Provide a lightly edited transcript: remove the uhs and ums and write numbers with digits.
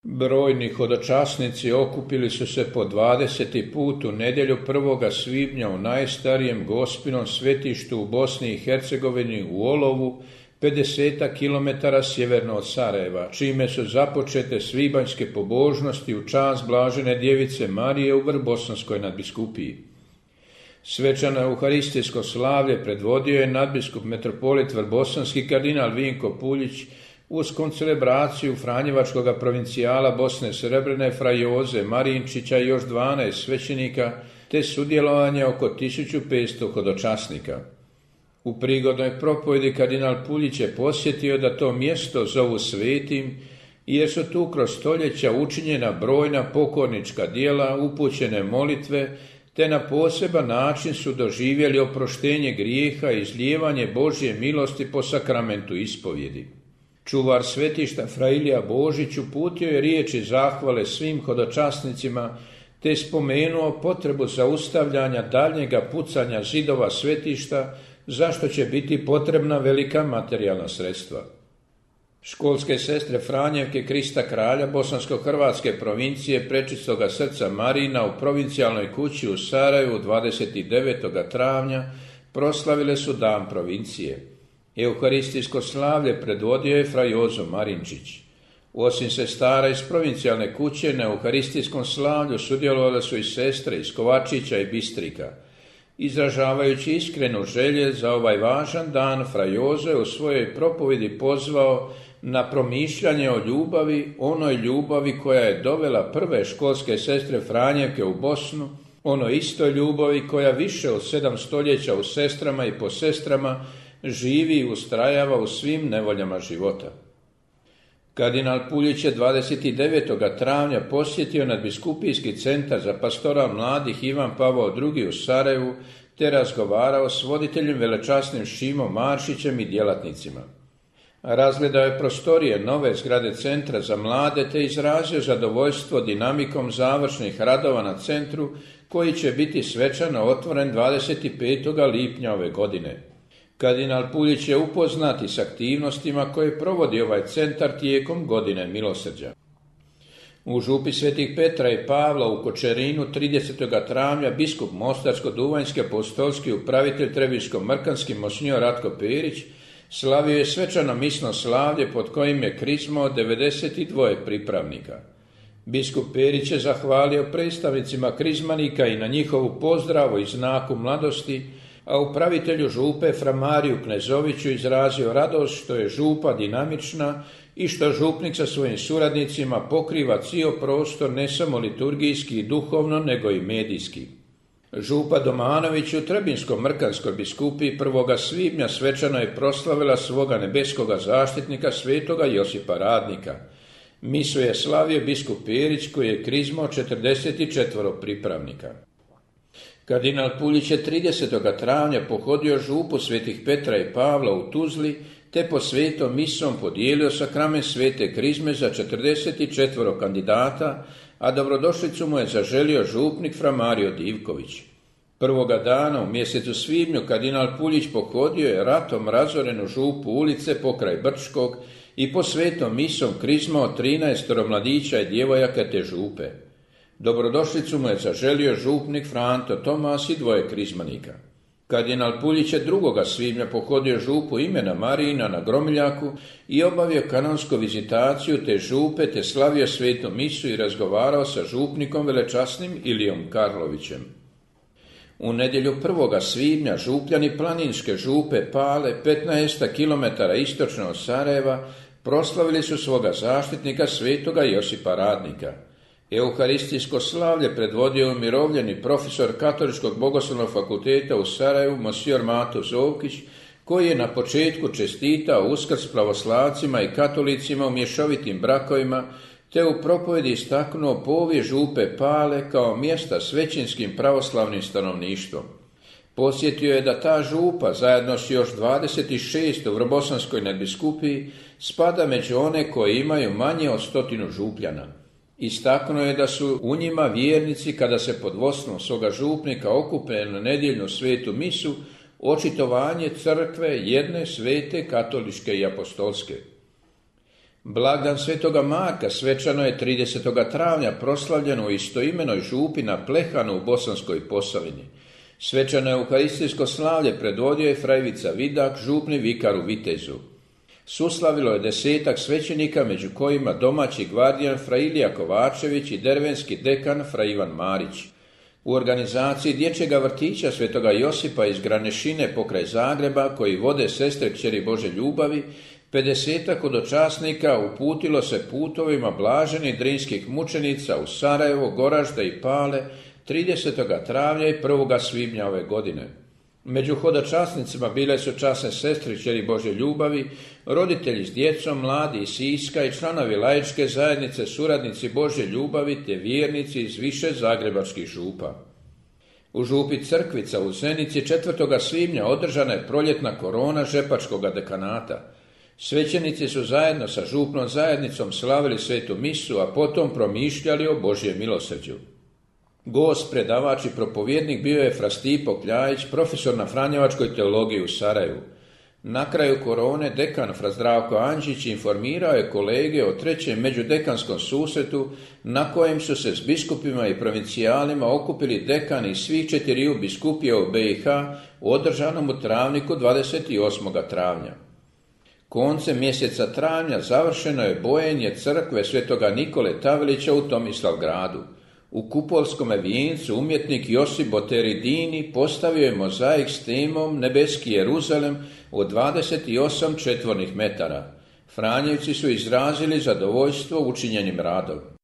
Brojni hodočasnici okupili su se po 20. put u nedjelju 1. svibnja u najstarijem Gospinom svetištu u Bosni i Hercegovini u Olovu, 50 km sjeverno od Sarajeva, čime su započete svibanjske pobožnosti u čast blažene djevice Marije u Vrbosanskoj nadbiskupiji. Svečano euharistijsko slavlje predvodio je nadbiskup metropolit vrbosanski kardinal Vinko Puljić uz koncelebraciju Franjevačkog provincijala Bosne Srebrene fra Joze Marinčića i još 12 svećenika, te sudjelovanje oko 1500 hodočasnika. U prigodnoj propovjedi kardinal Puljić je posjetio da to mjesto zovu svetim, jer su tu kroz stoljeća učinjena brojna pokornička djela, upućene molitve, te na poseban način su doživjeli oproštenje grijeha i izlijevanje Božje milosti po sakramentu ispovjedi. Čuvar svetišta fra Ilija Božić uputio je riječi zahvale svim hodočasnicima, te spomenuo potrebu zaustavljanja daljnjega pucanja zidova svetišta, zašto će biti potrebna velika materijalna sredstva. Školske sestre Franjevke Krista Kralja Bosansko-Hrvatske provincije Prečistoga srca Marina u provincijalnoj kući u Sarajevu 29. travnja proslavile su dan provincije. Euharistijsko slavlje predvodio je fra Jozo Marinčić. Osim sestara iz provincijalne kuće na euharistijskom slavlju sudjelovale su i sestre iz Kovačića i Bistrika. Izražavajući iskrenu želje za ovaj važan dan, fra Jozo je u svojoj propovjedi pozvao na promišljanje o ljubavi, onoj ljubavi koja je dovela prve školske sestre Franjevke u Bosnu, onoj istoj ljubavi koja više od 7 stoljeća u sestrama i po sestrama živi i ustrajava u svim nevoljama života. Kardinal Puljić je 29. travnja posjetio nadbiskupijski centar za pastoral mladih Ivan Pavao II. U Sarajevu, te razgovarao s voditeljem velečasnim Šimom Maršićem i djelatnicima. Razgledao je prostorije nove zgrade centra za mlade, te izrazio zadovoljstvo dinamikom završnih radova na centru, koji će biti svečano otvoren 25. lipnja ove godine. Kardinal Puljić je upoznat s aktivnostima koje provodi ovaj centar tijekom godine milosrđa. U župi Svetih Petra i Pavla u Kočerinu 30. travnja biskup Mostarsko-Duvanjski apostolski upravitelj Trebiško-Mrkanski monsinjor Ratko Perić slavio je svečano misno slavlje pod kojim je krizmao 92 pripravnika. Biskup Perić je zahvalio predstavnicima krizmanika i na njihovu pozdravu i znaku mladosti, a upravitelju župe fra Mariju Knezoviću izrazio radost što je župa dinamična i što župnik sa svojim suradnicima pokriva cijel prostor ne samo liturgijski i duhovno, nego i medijski. Župa Domanović u Trebinsko-Mrkanskoj biskupiji 1. svibnja svečano je proslavila svoga nebeskoga zaštitnika svetoga Josipa Radnika. Misu je slavio biskup Perić koji je krizmao 44 pripravnika. Kardinal Puljić je 30. travnja pohodio župu Svetih Petra i Pavla u Tuzli, te po svetom misom podijelio sakrament svete krizme za 44 kandidata, a dobrodošlicu mu je zaželio župnik fra Mario Divković. Prvoga dana u mjesecu svibnju kardinal Puljić pohodio je ratom razorenu župu ulice pokraj Brčkog i po svetom misom krizmao 13 mladića i djevojaka te župe. Dobrodošlicu mu je zaželio župnik Franto Tomas i 2 krizmanika. Kardinal Puljić je 2. svibnja pohodio župu imena Marijina na Gromiljaku i obavio kanonsku vizitaciju te župe, te slavio svetu misu i razgovarao sa župnikom velečasnim Ilijom Karlovićem. U nedjelju 1. svibnja župljani planinske župe Pale, 15 km istočno od Sarajeva, proslavili su svoga zaštitnika svetoga Josipa Radnika. Euharistijsko slavlje predvodio umirovljeni profesor Katoličkog bogoslovnog fakulteta u Sarajevu, monsignor Mato Zovkić, koji je na početku čestitao Uskrs pravoslavcima i katolicima u mješovitim brakovima, te u propovjedi istaknuo povijest župe Pale kao mjesta s većinskim pravoslavnim stanovništvom. Podsjetio je da ta župa, zajedno s još 26 u Vrbosanskoj nadbiskupiji, spada među one koje imaju manje od 100 župljana. Istaknuo je da su u njima vjernici, kada se pod vodstvom svoga župnika okupe na nedjeljnu svetu misu, očitovanje crkve jedne svete katoličke i apostolske. Blagdan svetoga Marka svečano je 30. travnja proslavljeno u istoimenoj župi na Plehanu u Bosanskoj Posavini. Svečano euharistijsko slavlje predvodio je fra Ivica Vidak, župni vikar u Vitezu. Suslavilo je 10 svećenika, među kojima domaći gvardijan fra Ilija Kovačević i dervenski dekan fra Ivan Marić. U organizaciji dječjega vrtića svetoga Josipa iz Granešine pokraj Zagreba, koji vode sestre kćeri Bože ljubavi, 50 hodočasnika uputilo se putovima blaženih drinskih mučenica u Sarajevo, Goražde i Pale 30. travnja i 1. svibnja ove godine. Među hodočasnicima bile su časne sestre kćeri Bože ljubavi, roditelji s djecom, mladi iz Siska i članovi laičke zajednice, suradnici Bože ljubavi te vjernici iz više zagrebačkih župa. U župi Crkvica u Zenici 4. svibnja održana je proljetna korona žepačkog dekanata. Svećenici su zajedno sa župnom zajednicom slavili svetu misu, a potom promišljali o Božjem milosrđu. Gost, predavač i propovjednik bio je fra Stipo Kljajić, profesor na Franjevačkoj teologiji u Sarajevu. Na kraju korone dekan fra Zdravko Anđić informirao je kolege o 3. međudekanskom susretu na kojem su se s biskupima i provincijalima okupili dekani iz svih 4 biskupija u BiH u održanom u Travniku 28. travnja. Koncem mjeseca travnja završeno je bojenje crkve svetoga Nikole Tavelića u Tomislavgradu. U kupolskome vijencu umjetnik Josip Boteridini postavio je mozaik s temom Nebeski Jeruzalem od 28 četvornih metara. Franjevci su izrazili zadovoljstvo učinjenim radom.